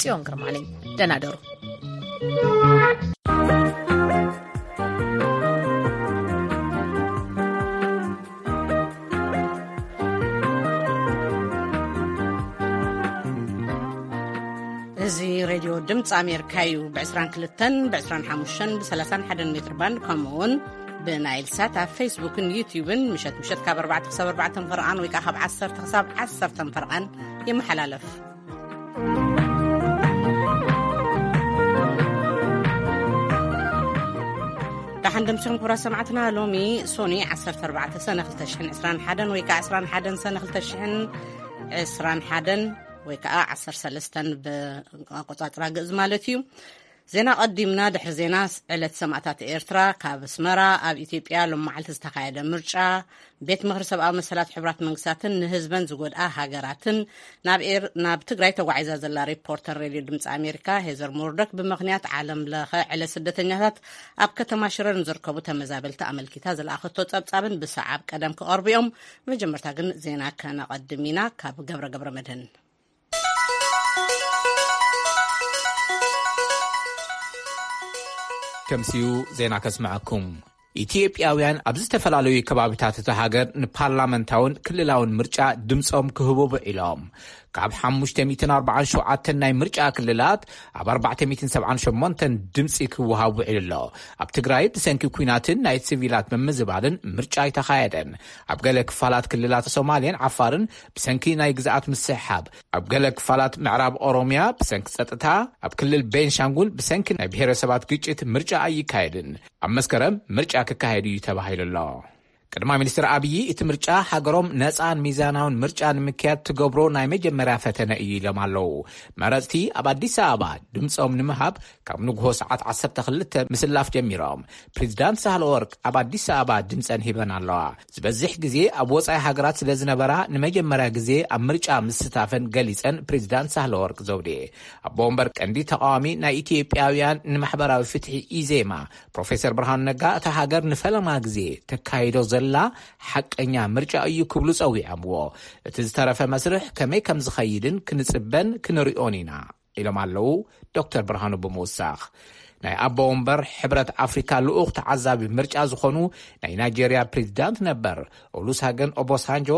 ጽዮን ግርማ ነኝ። ደህና ደሩ። እዚ ሬድዮ ድምፂ ኣሜሪካ እዩ። ብ22፣ ብ25፣ ብ31 ሜትር ባንድ፣ ከምኡ እውን ብናይል ሳት ኣብ ፌስቡክን ዩትዩብን ምሸት ምሸት ካብ ኣርባዕተ ክሳብ ኣርባዕተ ፈርቓን ወይ ከዓ ካብ ዓሰርተ ክሳብ ዓሰርተ ፈርቓን ይመሓላለፍ። ደሓን ደምሲኹም ክቡራት ሰማዕትና። ሎሚ ሶኒ ዓሰርተ ኣርባዕተ ሰነ ክልተ ሽሕን ዕስራን ሓደን ወይ ከዓ ዕስራን ሓደን ሰነ ክልተ ሽሕን ዕስራን ሓደን ወይ ከዓ ዓሰርተ ሰለስተን ብኣቆጻጽራ ግእዝ ማለት እዩ። ዜና ቀዲምና። ድሕሪ ዜና፣ ዕለት ሰማእታት ኤርትራ፣ ካብ ኣስመራ ኣብ ኢትዮጵያ ሎም መዓልቲ ዝተኻየደ ምርጫ፣ ቤት ምኽሪ ሰብኣዊ መሰላት ሕቡራት መንግስታትን ንህዝበን ዝጎድኣ ሃገራትን፣ ናብ ኤር-፣ ናብ ትግራይ ተጓዒዛ ዘላ ሪፖርተር ሬድዮ ድምፂ ኣሜሪካ ሄዘር ሞርዶክ ብምኽንያት ዓለም ለኸ ዕለት ስደተኛታት ኣብ ከተማ ሽረ ንዝርከቡ ተመዛበልቲ ኣመልኪታ ዝለኣኸቶ ጸብጻብን ብሰዓብ ቀደም ክቐርቡ እዮም። መጀመርታ ግን ዜና ከነቐድም ኢና። ካብ ገብረ ገብረ መድህን። ከምሲኡ ዜና ከስምዐኩም። ኢትዮጵያውያን ኣብ ዝተፈላለዩ ከባቢታት እታ ሃገር ንፓርላመንታውን ክልላውን ምርጫ ድምፆም ክህቡ ውዒሎም። ካብ ሓሙሽተ ሚእትን ኣርባዓን ሸውዓተን ናይ ምርጫ ክልላት ኣብ ኣርባዕተ ሚእትን ሰብዓን ሸሞንተን ድምፂ ክወሃብ ውዒሉ ኣሎ። ኣብ ትግራይ ብሰንኪ ኲናትን ናይ ሲቪላት ምምዝባልን ምርጫ ኣይተኻየደን። ኣብ ገለ ክፋላት ክልላት ሶማሌን ዓፋርን ብሰንኪ ናይ ግዝኣት ምስሕሓብ፣ ኣብ ገለ ክፋላት ምዕራብ ኦሮምያ ብሰንኪ ጸጥታ፣ ኣብ ክልል ቤንሻንጉል ብሰንኪ ናይ ብሔረሰባት ግጭት ምርጫ ኣይካየድን። ኣብ መስከረም ምርጫ ክካየድ እዩ ተባሂሉ ኣሎ። ቀዳማይ ሚኒስትር ኣብዪ እቲ ምርጫ ሃገሮም ነጻን ሚዛናውን ምርጫ ንምክያድ ትገብሮ ናይ መጀመርያ ፈተነ እዩ ኢሎም ኣለዉ። መረጽቲ ኣብ ኣዲስ ኣበባ ድምጾም ንምሃብ ካብ ንግሆ ሰዓት ዓሰርተ ክልተ ምስላፍ ጀሚሮም። ፕሬዚዳንት ሳህለወርቅ ኣብ ኣዲስ ኣበባ ድምጸን ሂበን ኣለዋ። ዝበዝሕ ግዜ ኣብ ወጻኢ ሃገራት ስለ ዝነበራ ንመጀመርያ ግዜ ኣብ ምርጫ ምስታፈን ገሊጸን ፕሬዚዳንት ሳህለወርቅ ዘውዴ። ኣቦ ወንበር ቀንዲ ተቃዋሚ ናይ ኢትዮጵያውያን ንማሕበራዊ ፍትሒ ኢዜማ ፕሮፌሰር ብርሃኑ ነጋ እታ ሃገር ንፈለማ ግዜ ተካይዶ ዘላ ሓቀኛ ምርጫ እዩ ክብሉ ጸዊዖምዎ። እቲ ዝተረፈ መስርሕ ከመይ ከም ዝኸይድን ክንጽበን ክንሪኦን ኢና ኢሎም ኣለዉ ዶክተር ብርሃኑ ብምውሳኽ። ናይ ኣቦ ወንበር ሕብረት ኣፍሪካ ልኡኽ ተዓዛቢ ምርጫ ዝኾኑ ናይ ናይጄርያ ፕሬዚዳንት ነበር ኦሉሳገን ኦቦሳንጆ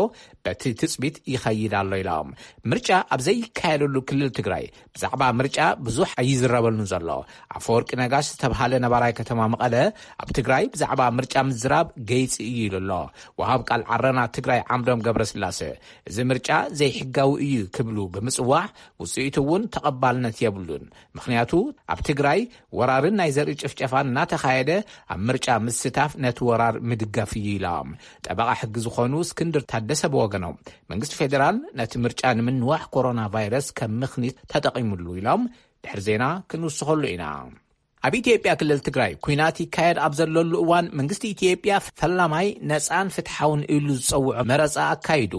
በቲ ትጽቢት ይኸይድ ኣሎ ኢሎም። ምርጫ ኣብ ዘይካየደሉ ክልል ትግራይ ብዛዕባ ምርጫ ብዙሕ ኣይዝረበሉን ዘሎ ኣፈወርቂ ነጋሽ ዝተብሃለ ነባራይ ከተማ መቐለ ኣብ ትግራይ ብዛዕባ ምርጫ ምዝራብ ገይፂ እዩ ኢሉ ኣሎ። ወሃብ ቃል ዓረና ትግራይ ዓምዶም ገብረስላሴ እዚ ምርጫ ዘይሕጋዊ እዩ ክብሉ ብምጽዋዕ ውጽኢቱ እውን ተቐባልነት የብሉን። ምኽንያቱ ኣብ ትግራይ ወራርን ናይ ዘርኢ ጭፍጨፋን እናተኻየደ ኣብ ምርጫ ምስታፍ ነቲ ወራር ምድጋፍ እዩ ኢሎም። ጠበቓ ሕጊ ዝኾኑ እስክንድር ታደሰ ብወገኖም መንግስቲ ፌዴራል ነቲ ምርጫ ንምንዋሕ ኮሮና ቫይረስ ከም ምኽኒት ተጠቒሙሉ ኢሎም። ድሕሪ ዜና ክንውስኸሉ ኢና። ኣብ ኢትዮጵያ ክልል ትግራይ ኲናት ይካየድ ኣብ ዘለሉ እዋን መንግስቲ ኢትዮጵያ ፈላማይ ነፃን ፍትሓውን ኢሉ ዝፀውዖ መረፃ ኣካይዱ።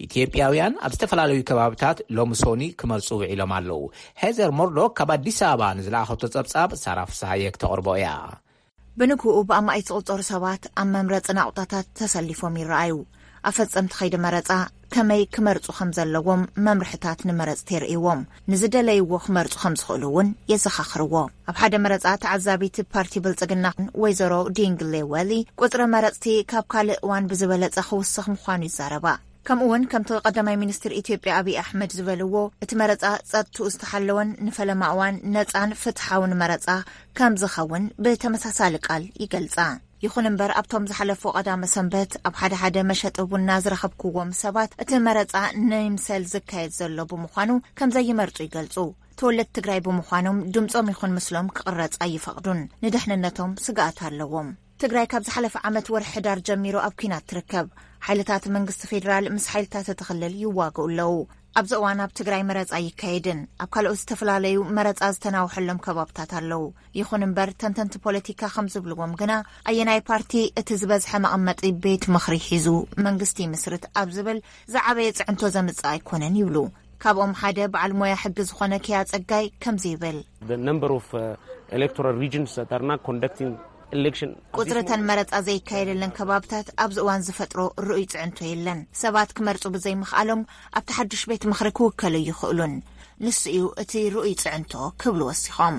ኢትዮጵያውያን ኣብ ዝተፈላለዩ ከባብታት ሎሚ ሶኒ ክመርፁ ውዒሎም ኣለዉ። ሄዘር ሞርዶክ ካብ ኣዲስ ኣበባ ንዝለኣኸቶ ጸብጻብ ሳራ ፍስሃየ ክተቕርቦ እያ። ብንግኡ ብኣማኢት ዝቑጸሩ ሰባት ኣብ መምረጺ ናቑጣታት ተሰሊፎም ይረኣዩ። ኣፈጸምቲ ከይዲ መረጻ ከመይ ክመርጹ ከም ዘለዎም መምርሕታት ንመረጽቲ የርእይዎም። ንዝደለይዎ ክመርጹ ከም ዝኽእሉ እውን የዘኻኽርዎ። ኣብ ሓደ መረጻ ተዓዛቢት ፓርቲ ብልጽግና ወይዘሮ ዲንግሌ ወሊ ቁጽሪ መረጽቲ ካብ ካልእ እዋን ብዝበለጸ ክውስኽ ምዃኑ ይዛረባ። ከምኡ እውን ከምቲ ቀዳማይ ሚኒስትር ኢትዮጵያ ኣብይ ኣሕመድ ዝበልዎ እቲ መረጻ ጸጥትኡ ዝተሓለወን ንፈለማ እዋን ነጻን ፍትሓውን መረጻ ከም ዝኸውን ብተመሳሳሊ ቃል ይገልጻ። ይኹን እምበር ኣብቶም ዝሓለፉ ቀዳመ ሰንበት ኣብ ሓደ ሓደ መሸጢ ቡና ዝረኸብኩዎም ሰባት እቲ መረጻ ንይምሰል ዝካየድ ዘሎ ብምዃኑ ከም ዘይመርጹ ይገልጹ። ተወለድቲ ትግራይ ብምዃኖም ድምጾም ይኹን ምስሎም ክቕረጽ ኣይፈቕዱን። ንድሕንነቶም ስግኣት ኣለዎም። ትግራይ ካብ ዝሓለፈ ዓመት ወርሒ ሕዳር ጀሚሩ ኣብ ኲናት ትርከብ። ሓይልታት መንግስቲ ፌዴራል ምስ ሓይልታት እቲ ክልል ይዋግኡ ኣለዉ። ኣብዚ እዋን ኣብ ትግራይ መረጻ ኣይካየድን። ኣብ ካልኦት ዝተፈላለዩ መረጻ ዝተናውሐሎም ከባብታት ኣለዉ። ይኹን እምበር ተንተንቲ ፖለቲካ ከም ዝብልዎም ግና ኣየናይ ፓርቲ እቲ ዝበዝሐ መቐመጢ ቤት ምኽሪ ሒዙ መንግስቲ ይምስርት ኣብ ዝብል ዝዓበየ ጽዕንቶ ዘምጽእ ኣይኮነን ይብሉ። ካብኦም ሓደ በዓል ሞያ ሕጊ ዝኾነ ኪያ ጸጋይ ከምዚ ይብል። The number of, uh, electoral regions that are not conducting election. ቁጽርተን መረጻ ዘይካየደለን ከባብታት ኣብዚ እዋን ዝፈጥሮ ርኡይ ጽዕንቶ የለን። ሰባት ክመርጹ ብዘይምኽኣሎም ኣብቲ ሓዱሽ ቤት ምኽሪ ክውከሉ ይኽእሉን። ንሱ እዩ እቲ ርኡይ ጽዕንቶ ክብሉ ወሲኾም።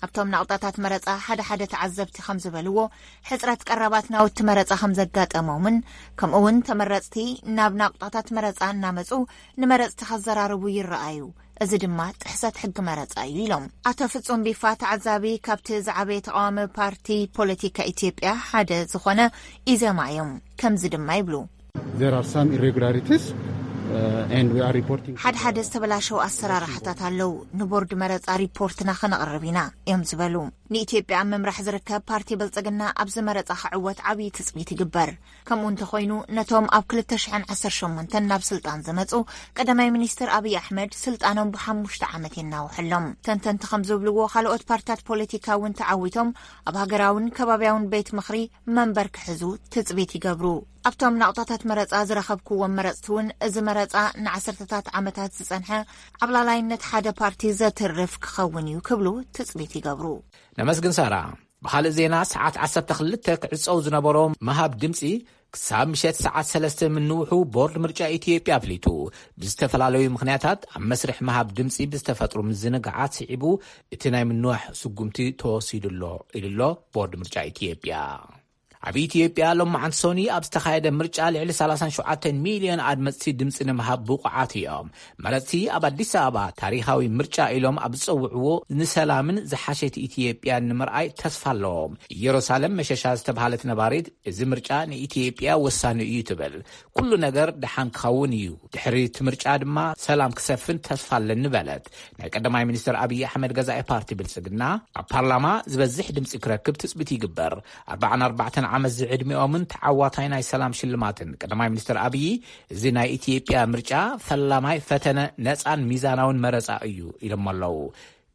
ኣብቶም ናቕጣታት መረጻ ሓደ ሓደ ተዓዘብቲ ከም ዝበልዎ፣ ሕጽረት ቀረባት ናውቲ መረጻ ከም ዘጋጠሞምን፣ ከምኡ እውን ተመረጽቲ ናብ ናቕጣታት መረጻ እናመጹ ንመረጽቲ ከዘራርቡ ይረኣዩ። እዚ ድማ ጥሕሰት ሕጊ መረጻ እዩ ኢሎም። ኣቶ ፍጹም ቢፋ፣ ተዓዛቢ፣ ካብቲ ዝዓበየ ተቃዋሚ ፓርቲ ፖለቲካ ኢትዮጵያ ሓደ ዝኾነ ኢዜማ እዮም። ከምዚ ድማ ይብሉ። There are some irregularities, uh, and we are reporting. ሓደ ሓደ ዝተበላሸው ኣሰራርሓታት ኣለዉ። ንቦርድ መረጻ ሪፖርትና ከነቕርብ ኢና እዮም ዝበሉ። ንኢትዮጵያ ኣብ ምምራሕ ዝርከብ ፓርቲ ብልጽግና ኣብዚ መረጻ ክዕወት ዓብዪ ትጽቢት ይግበር። ከምኡ እንተኾይኑ፣ ነቶም ኣብ ክልተ ሽሕን ዓሰርተ ሸሞንተን ናብ ስልጣን ዝመጹ ቀዳማይ ሚኒስትር ኣብይ ኣሕመድ ስልጣኖም ብሓሙሽተ ዓመት የናውሐሎም። ተንተንቲ ከም ዝብልዎ፣ ካልኦት ፓርትታት ፖለቲካ እውን ተዓዊቶም ኣብ ሃገራውን ከባብያውን ቤት ምኽሪ መንበር ክሕዙ ትጽቢት ይገብሩ። ኣብቶም ናቕጣታት መረጻ ዝረኸብክዎም መረጽቲ እውን፣ እዚ መረጻ ንዓሰርተታት ዓመታት ዝጸንሐ ዓብላላይነት ሓደ ፓርቲ ዘትርፍ ክኸውን እዩ ክብሉ ትጽቢት ይገብሩ። ነመስግን ሳራ። ብኻልእ ዜና፣ ሰዓት ዓሰርተ ክልተ ክዕጸው ዝነበሮ ምሃብ ድምጺ ክሳብ ምሸት ሰዓት ሰለስተ ምንውሑ ቦርድ ምርጫ ኢትዮጵያ ኣፍሊጡ። ብዝተፈላለዩ ምኽንያታት ኣብ መስርሕ ምሃብ ድምጺ ብዝተፈጥሩ ምዝንጋዓት ስዒቡ እቲ ናይ ምንዋሕ ስጉምቲ ተወሲዱ ኣሎ ኢሉ ኣሎ ቦርድ ምርጫ ኢትዮጵያ። ኣብ ኢትዮጵያ ሎማዓንቲ ሰኑይ ኣብ ዝተኻየደ ምርጫ ልዕሊ ሰላሳን ሸውዓተን ሚልዮን ኣድመፅቲ ድምፂ ንምሃብ ብቑዓት እዮም። መረፅቲ ኣብ ኣዲስ ኣበባ ታሪኻዊ ምርጫ ኢሎም ኣብ ዝፀውዕዎ ንሰላምን ዝሓሸት ኢትዮጵያን ንምርኣይ ተስፋ ኣለዎም። ኢየሩሳሌም መሸሻ ዝተባህለት ነባሪት፣ እዚ ምርጫ ንኢትዮጵያ ወሳኒ እዩ ትብል። ኩሉ ነገር ደሓን ክኸውን እዩ፣ ድሕሪ እቲ ምርጫ ድማ ሰላም ክሰፍን ተስፋ ኣለኒ በለት። ናይ ቀዳማይ ሚኒስትር ኣብይ ኣሕመድ ገዛኢ ፓርቲ ብልፅግና ኣብ ፓርላማ ዝበዝሕ ድምፂ ክረክብ ትፅቢት ይግበር። ኣርባዓን ኣርባዕተን ዓመት ዝዕድሚኦምን ተዓዋታይ ናይ ሰላም ሽልማትን ቀዳማይ ሚኒስትር ኣብይ፣ እዚ ናይ ኢትዮጵያ ምርጫ ፈላማይ ፈተነ ነፃን ሚዛናውን መረፃ እዩ ኢሎም ኣለዉ።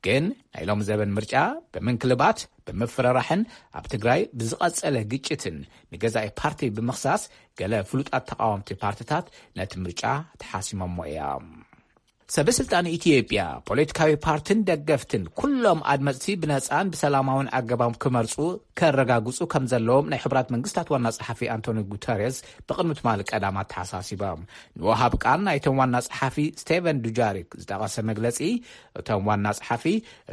ግን ናይ ሎሚ ዘበን ምርጫ ብምንክልባት፣ ብምፍርራሕን ኣብ ትግራይ ብዝቐጸለ ግጭትን ንገዛኢ ፓርቲ ብምኽሳስ፣ ገለ ፍሉጣት ተቓወምቲ ፓርትታት ነቲ ምርጫ ተሓሲሞሞ እዮም። ሰበ ስልጣን ኢትዮጵያ፣ ፖለቲካዊ ፓርትን ደገፍትን ኩሎም ኣድመፅቲ ብነፃን ብሰላማውን ኣገባብ ክመርፁ ከረጋግፁ ከም ዘለዎም ናይ ሕቡራት መንግስታት ዋና ጸሓፊ ኣንቶኒ ጉተሬስ ብቕድሚ ትማሊ ቀዳም ኣተሓሳሲቦም። ንወሃብ ቃል ናይቶም ዋና ጸሓፊ ስቴቨን ዱጃሪክ ዝጠቐሰ መግለጺ፣ እቶም ዋና ጸሓፊ፣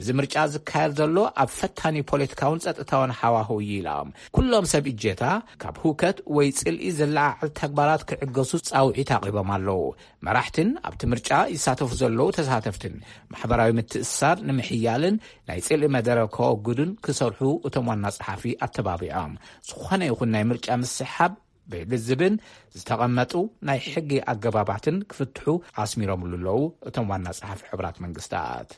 እዚ ምርጫ ዝካየድ ዘሎ ኣብ ፈታኒ ፖለቲካውን ጸጥታውን ሃዋህው እዩ ኢሎም። ኩሎም ሰብ እጀታ ካብ ህውከት ወይ ጽልኢ ዘለዓዕል ተግባራት ክዕገሱ ጻውዒት ኣቕሪቦም ኣለዉ። መራሕትን ኣብቲ ምርጫ ይሳተፉ ዘለዉ ተሳተፍትን ማሕበራዊ ምትእስሳር ንምሕያልን ናይ ጽልኢ መደረ ከወግዱን ክሰርሑ እቶም ዋና ጸሓፊ ኣተባቢዖም። ዝኾነ ይኹን ናይ ምርጫ ምስሕሓብ ብልዝብን ዝተቐመጡ ናይ ሕጊ ኣገባባትን ክፍትሑ ኣስሚሮምሉ ኣለዉ እቶም ዋና ጸሓፊ ሕቡራት መንግስታት።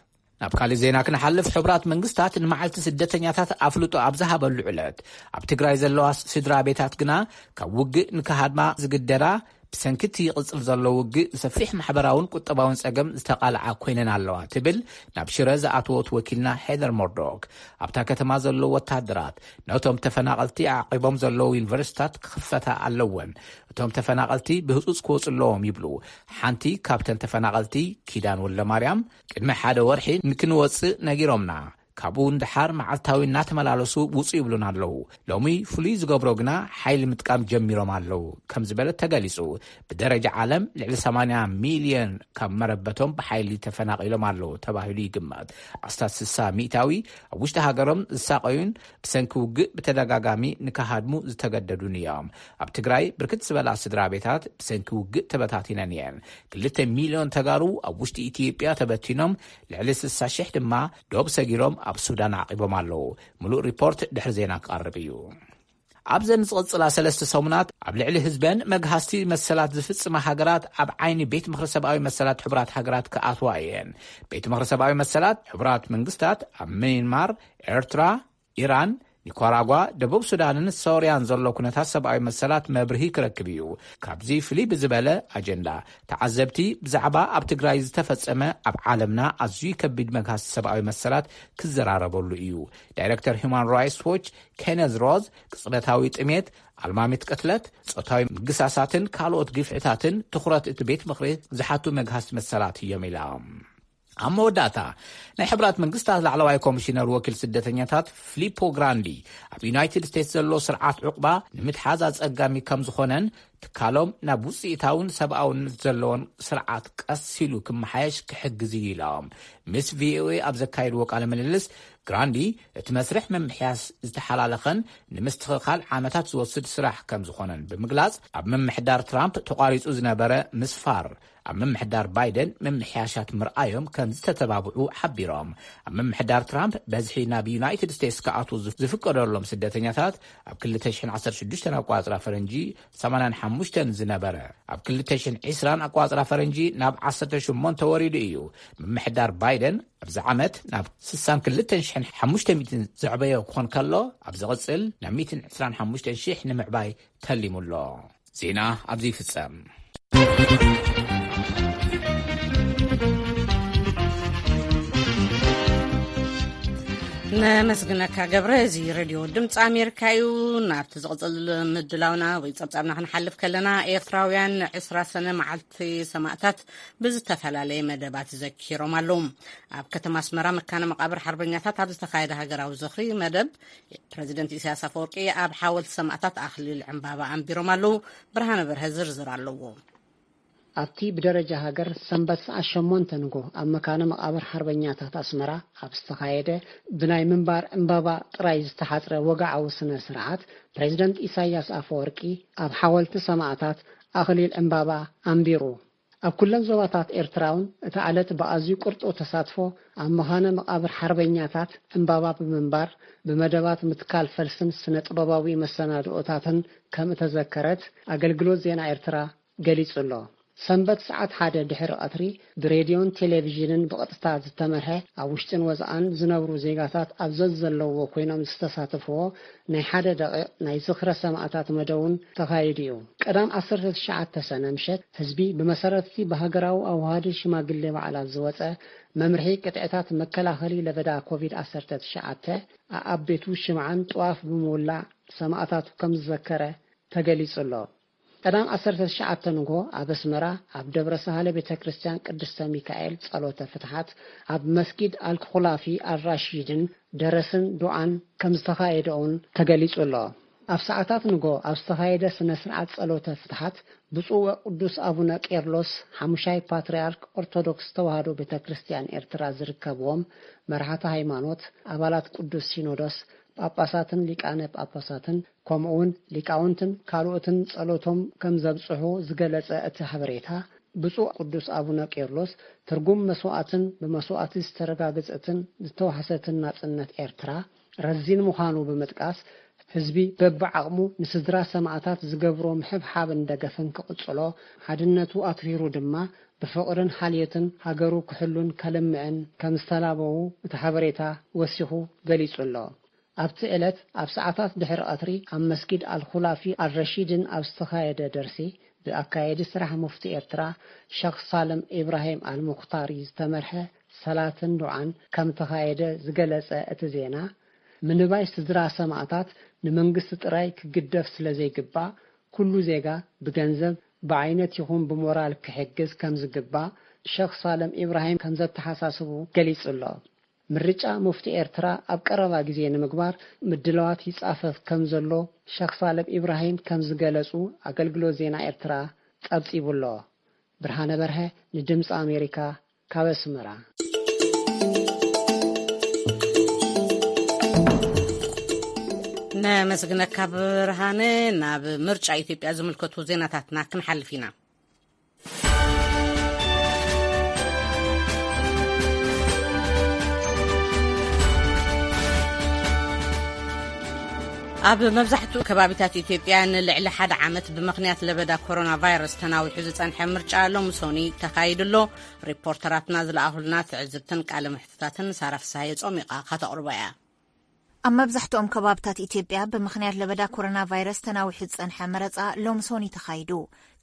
ናብ ካልእ ዜና ክንሓልፍ፣ ሕቡራት መንግስታት ንመዓልቲ ስደተኛታት ኣፍልጦ ኣብ ዝሃበሉ ዕለት፣ ኣብ ትግራይ ዘለዋ ስድራ ቤታት ግና ካብ ውግእ ንክሃድማ ዝግደዳ፣ ብሰንኪ እቲ ይቕጽል ዘሎ ውግእ ንሰፊሕ ማሕበራውን ቁጠባውን ጸገም ዝተቓልዓ ኮይነን ኣለዋ ትብል ናብ ሽረ ዝኣተወት ወኪልና ሄደር ሞርዶክ። ኣብታ ከተማ ዘለዉ ወታደራት ነቶም ተፈናቐልቲ ኣዕቂቦም ዘለዉ ዩኒቨርሲታት ክኽፈታ ኣለወን፣ እቶም ተፈናቐልቲ ብህጹጽ ክወጹ ኣለዎም ይብሉ። ሓንቲ ካብተን ተፈናቐልቲ፣ ኪዳን ወልደማርያም፣ ቅድሚ ሓደ ወርሒ ንክንወጽእ ነጊሮምና፣ ካብኡ ንደሓር መዓልታዊ እናተመላለሱ ውጹ ይብሉና ኣለዉ። ሎሚ ፍሉይ ዝገብሮ ግና ሓይሊ ምጥቃም ጀሚሮም ኣለዉ ከም ዝበለት ተገሊጹ። ብደረጃ ዓለም ልዕሊ ሰማንያ ሚልዮን ካብ መረበቶም ብሓይሊ ተፈናቒሎም ኣለዉ ተባሂሉ ይግመት። ኣስታት ስሳ ሚእታዊ ኣብ ውሽጢ ሃገሮም ዝሳቐዩን ብሰንኪ ውግእ ብተደጋጋሚ ንክሃድሙ ዝተገደዱን እዮም። ኣብ ትግራይ ብርክት ዝበላ ስድራ ቤታት ብሰንኪ ውግእ ተበታቲነን እየን። ክልተ ሚልዮን ተጋሩ ኣብ ውሽጢ ኢትዮጵያ ተበቲኖም፣ ልዕሊ ስሳ ሽሕ ድማ ዶብ ሰጊሮም ኣብ ሱዳን ዓቒቦም ኣለዉ። ምሉእ ሪፖርት ድሕሪ ዜና ክቐርብ እዩ። ኣብዘን ዝቕጽላ ሰለስተ ሰሙናት ኣብ ልዕሊ ህዝበን መግሃስቲ መሰላት ዝፍጽማ ሃገራት ኣብ ዓይኒ ቤት ምኽሪ ሰብኣዊ መሰላት ሕቡራት ሃገራት ክኣትዋ እየን። ቤት ምኽሪ ሰብኣዊ መሰላት ሕቡራት መንግስታት ኣብ ሚያንማር፣ ኤርትራ፣ ኢራን፣ ኒካራጓ፣ ደቡብ ሱዳንን ሶርያን ዘሎ ኩነታት ሰብኣዊ መሰላት መብርሂ ክረክብ እዩ። ካብዚ ፍልይ ብዝበለ ኣጀንዳ፣ ተዓዘብቲ ብዛዕባ ኣብ ትግራይ ዝተፈጸመ ኣብ ዓለምና ኣዝዩ ከቢድ መግሃስቲ ሰብኣዊ መሰላት ክዘራረበሉ እዩ። ዳይረክተር ሁማን ራይትስ ዎች ኬነዝ ሮዝ፣ ቅጽበታዊ ጥሜት፣ ኣልማሚት ቅትለት፣ ጾታዊ ምግሳሳትን ካልኦት ግፍዕታትን ትኹረት እቲ ቤት ምኽሪ ዝሓቱ መግሃስቲ መሰላት እዮም ኢላ። ኣብ መወዳእታ፣ ናይ ሕቡራት መንግስታት ላዕለዋይ ኮሚሽነር ወኪል ስደተኛታት ፊሊፖ ግራንዲ፣ ኣብ ዩናይትድ ስቴትስ ዘሎ ስርዓት ዕቑባ ንምትሓዝ ኣጸጋሚ ከም ዝኾነን ትካሎም ናብ ውፅኢታውን ሰብኣውነት ዘለዎን ስርዓት ቀስ ኢሉ ክመሓየሽ ክሕግዝ እዩ ኢሎም። ምስ ቪኦኤ ኣብ ዘካየድዎ ቃለ ምልልስ ግራንዲ፣ እቲ መስርሕ ምምሕያሽ ዝተሓላለኸን ንምስትኽኻል ዓመታት ዝወስድ ስራሕ ከም ዝኾነን ብምግላጽ፣ ኣብ ምምሕዳር ትራምፕ ተቋሪጹ ዝነበረ ምስፋር ኣብ ምምሕዳር ባይደን ምምሕያሻት ምርኣዮም ከም ዝተተባብዑ ሓቢሮም። ኣብ ምምሕዳር ትራምፕ በዝሒ ናብ ዩናይትድ ስቴትስ ክኣትዉ ዝፍ-፣ ዝፍቀደሎም ስደተኛታት ኣብ ክልተ ሽሕን ዓሰርተ ሽዱሽተን ኣቋጽራ ፈረንጂ ሰማንያን ሓሙሽተን ዝነበረ፣ ኣብ ክልተ ሽሕን ዕስራን ኣቋጽራ ፈረንጂ ናብ ዓሰርተ ሸሞንተ ወሪዱ እዩ። ምምሕዳር ባይደን ኣብዚ ዓመት ናብ ስሳን ክልተን ሽሕን ሓሙሽተ ሚእትን ዘዕበዮ ክኾን ከሎ፣ ኣብ ዝቕጽል ናብ ሚእትን ዕስራን ሓሙሽተን ሽሕ ንምዕባይ ተሊሙ ኣሎ። ዜና ኣብዚ ይፍጸም። ነመስግነካ ገብረ። እዚ ሬድዮ ድምፂ ኣሜሪካ እዩ። ናብቲ ዝቕፅል ምድላውና ወይ ፀብፃብና ክንሓልፍ ከለና፣ ኤርትራውያን ዕስራ ሰነ መዓልቲ ሰማእታት ብዝተፈላለየ መደባት ዘኪሮም ኣለዉ። ኣብ ከተማ ኣስመራ መካነ መቃብር ሓርበኛታት ኣብ ዝተኻየደ ሃገራዊ ዝኽሪ መደብ፣ ፕረዚደንት ኢሳያስ ኣፈወርቂ ኣብ ሓወልቲ ሰማእታት ኣኽሊል ዕምባባ ኣንቢሮም ኣለዉ። ብርሃነ በርሀ ዝርዝር ኣለዎ። ኣብቲ ብደረጃ ሃገር ሰንበት ሰዓት ሸሞንተ ንጎ ኣብ መካነ መቃብር ሓርበኛታት ኣስመራ ኣብ ዝተኻየደ ብናይ ምንባር ዕምባባ ጥራይ ዝተሓጽረ ወግዓዊ ስነ ስርዓት፣ ፕሬዚደንት ኢሳያስ ኣፈወርቂ ኣብ ሓወልቲ ሰማእታት ኣኽሊል ዕምባባ ኣንቢሩ። ኣብ ኩለን ዞባታት ኤርትራ እውን እታ ዕለት ብኣዝዩ ቅርጡው ተሳትፎ ኣብ መኻነ መቓብር ሓርበኛታት ዕምባባ ብምንባር፣ ብመደባት ምትካል ፈልስን ስነ ጥበባዊ መሰናድኦታትን ከም እተዘከረት ኣገልግሎት ዜና ኤርትራ ገሊጹ ኣሎ። ሰንበት ሰዓት ሓደ ድሕሪ ቀትሪ ብሬድዮን ቴሌቪዥንን ብቐጥታ ዝተመርሐ፣ ኣብ ውሽጥን ወጻእን ዝነብሩ ዜጋታት ኣብ ዘዘለዎ ኮይኖም ዝተሳተፍዎ ናይ ሓደ ደቂቕ ናይ ዝኽረ ሰማእታት መደብ እውን ተኻይዱ እዩ። ቀዳም ዓሰርተ ትሽዓተ ሰነ ምሸት ህዝቢ ብመሰረትቲ ብሃገራዊ ኣዋሃዲ ሽማግሌ ባዕላት ዝወጸ መምርሒ ቅጥዕታት መከላኸሊ ለበዳ ኮቪድ ዓሰርተ ትሽዓተ ኣኣብ ቤቱ ሽምዓን ጥዋፍ ብምውላዕ ሰማእታቱ ከም ዝዘከረ ተገሊጹ ኣሎ። ቀዳም ዓሰርተ ትሽዓተ ንግሆ ኣብ ኣስመራ ኣብ ደብረ ሳህለ ቤተ ክርስቲያን ቅድስተ ሚካኤል ጸሎተ ፍትሓት፣ ኣብ መስጊድ ኣልኩላፊ ኣልራሺድን ደረስን ዱዓን ከም ዝተኻየደ እውን ተገሊጹ ኣሎ። ኣብ ሰዓታት ንግሆ ኣብ ዝተኻየደ ስነ ስርዓት ጸሎተ ፍትሓት፣ ብፁዕ ወቅዱስ ኣቡነ ቄርሎስ ሓሙሻይ ፓትርያርክ ኦርቶዶክስ ተዋህዶ ቤተ ክርስቲያን ኤርትራ ዝርከብዎም መራሕቲ ሃይማኖት፣ ኣባላት ቅዱስ ሲኖዶስ፣ ጳጳሳትን ሊቃነ ጳጳሳትን ከምኡውን ሊቃውንትን ካልኦትን ጸሎቶም ከም ዘብጽሑ ዝገለጸ እቲ ሓበሬታ፣ ብፁዕ ቅዱስ ኣቡነ ቄርሎስ ትርጉም መስዋእትን ብመስዋእቲ ዝተረጋገጸትን ዝተዋሕሰትን ናጽነት ኤርትራ ረዚን ምዃኑ ብምጥቃስ፣ ህዝቢ በብዓቕሙ ንስድራ ሰማእታት ዝገብሮ ምሕብሓብን ደገፍን ክቕጽሎ፣ ሓድነቱ ኣትሪሩ ድማ ብፍቕርን ሓልዮትን ሃገሩ ክሕሉን ከልምዕን ከም ዝተላበዉ እቲ ሓበሬታ ወሲኹ ገሊጹ ኣሎ። ኣብቲ ዕለት ኣብ ሰዓታት ድሕሪ ቀትሪ ኣብ መስጊድ ኣልኹላፊ ኣልረሺድን ኣብ ዝተኻየደ ደርሲ፣ ብኣካየዲ ስራሕ ሙፍቲ ኤርትራ ሸኽ ሳልም ኢብራሂም ኣልሙኽታሪ ዝተመርሐ ሰላትን ዱዓን ከም ተኻየደ ዝገለጸ እቲ ዜና፣ ምንባይ ስድራ ሰማእታት ንመንግስቲ ጥራይ ክግደፍ ስለ ዘይግባእ፣ ኩሉ ዜጋ ብገንዘብ፣ ብዓይነት ይኹን ብሞራል ክሕግዝ ከም ዝግባእ ሸኽ ሳልም ኢብራሂም ከም ዘተሓሳስቡ ገሊጹ ኣሎ። ምርጫ ሙፍቲ ኤርትራ ኣብ ቀረባ ግዜ ንምግባር ምድላዋት ይጻፈፍ ከም ዘሎ ሸኽ ሳልም ኢብራሂም ከም ዝገለጹ ኣገልግሎት ዜና ኤርትራ ጸብጺቡ ኣሎ። ብርሃነ በርሀ ንድምጺ ኣሜሪካ ካብ ኣስመራ። ነመስግነካ ብርሃነ። ናብ ምርጫ ኢትዮጵያ ዝምልከቱ ዜናታትና ክንሓልፍ ኢና። ኣብ መብዛሕትኡ ከባቢታት ኢትዮጵያ ንልዕሊ ሓደ ዓመት ብምኽንያት ለበዳ ኮሮና ቫይረስ ተናዊሑ ዝጸንሐ ምርጫ ሎሚ ሶኒ ተኻይዱ ኣሎ። ሪፖርተራትና ዝለኣኹልና ትዕዝብትን ቃለ ምሕትታትን ሳራ ፍስሃየ ጾሚቓ ከተቕርቦ እያ። ኣብ መብዛሕትኦም ከባብታት ኢትዮጵያ ብምኽንያት ለበዳ ኮሮና ቫይረስ ተናዊሑ ዝጸንሐ መረጻ ሎሚ ሶኒ ተኻይዱ።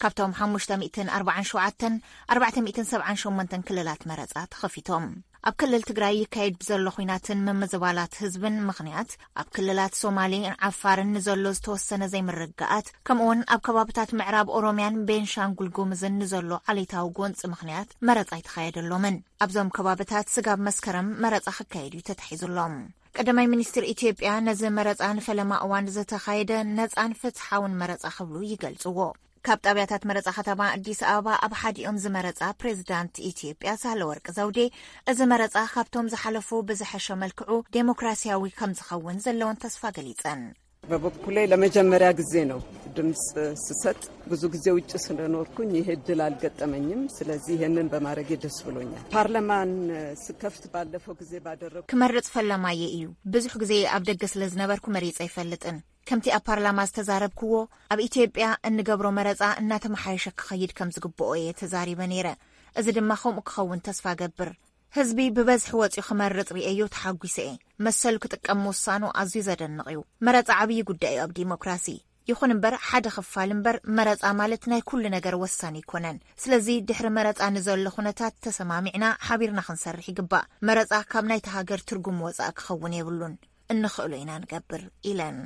ካብቶም ሓሙሽተ ሚእትን ኣርባዓን ሸውዓተን፣ ኣርባዕተ ሚእትን ሰብዓን ሸሞንተን ክልላት መረጻ ተኸፊቶም። ኣብ ክልል ትግራይ ይካየድ ብዘሎ ኹናትን ምምዝባላት ህዝብን ምኽንያት፣ ኣብ ክልላት ሶማሌን ዓፋርን ንዘሎ ዝተወሰነ ዘይምርግጋኣት፣ ከምኡውን ኣብ ከባብታት ምዕራብ ኦሮሚያን ቤንሻንጉል ጉምዝን ንዘሎ ዓሌታዊ ጎንጺ ምኽንያት መረጻ ኣይተኻየደሎምን። ኣብዞም ከባብታት ስጋብ መስከረም መረጻ ክካየድ እዩ ተታሒዙሎም። ቀዳማይ ሚኒስትር ኢትዮጵያ ነዚ መረጻ ንፈለማ እዋን ዝተኻየደ ነጻን ፍትሓውን መረጻ ክብሉ ይገልጽዎ። ካብ ጣብያታት መረፃ ከተማ ኣዲስ ኣበባ ኣብ ሓዲኦም ዝመረፃ ፕሬዚዳንት ኢትዮጵያ ሳህለወርቅ ዘውዴ፣ እዚ መረፃ ካብቶም ዝሓለፉ ብዝሐሸ መልክዑ ዴሞክራሲያዊ ከም ዝኸውን ዘለውን ተስፋ ገሊፀን። በበኩሌ ለመጀመሪያ ጊዜ ነው ድምፅ ስሰጥ። ብዙ ጊዜ ውጭ ስለኖርኩኝ ይሄ እድል አልገጠመኝም። ስለዚህ ይሄንን በማድረጌ ደስ ብሎኛል። ፓርላማን ስከፍት ባለፈው ጊዜ ባደረጉ ክመርፅ ፈላማየ እዩ። ብዙሕ ግዜ ኣብ ደገ ስለ ዝነበርኩ መሪፀ ኣይፈልጥን። ከምቲ ኣብ ፓርላማ ዝተዛረብክዎ፣ ኣብ ኢትዮጵያ እንገብሮ መረፃ እናተመሓየሸ ክኸይድ ከም ዝግብኦ እየ ተዛሪበ ነይረ። እዚ ድማ ከምኡ ክኸውን ተስፋ ገብር። ህዝቢ ብበዝሒ ወፂኡ ክመርፅ ርእየዮ ተሓጒሰ እየ። መሰሉ ክጥቀም ምውሳኑ ኣዝዩ ዘደንቕ እዩ። መረፃ ዓብዪ ጉዳይ እዩ ኣብ ዲሞክራሲ። ይኹን እምበር፣ ሓደ ክፋል እምበር፣ መረፃ ማለት ናይ ኩሉ ነገር ወሳኒ ኣይኮነን። ስለዚ ድሕሪ መረፃ ንዘሎ ኩነታት ተሰማሚዕና ሓቢርና ክንሰርሕ ይግባእ። መረፃ ካብ ናይቲ ሃገር ትርጉም ወፃኢ ክኸውን የብሉን። እንኽእሎ ኢና ንገብር ኢለን።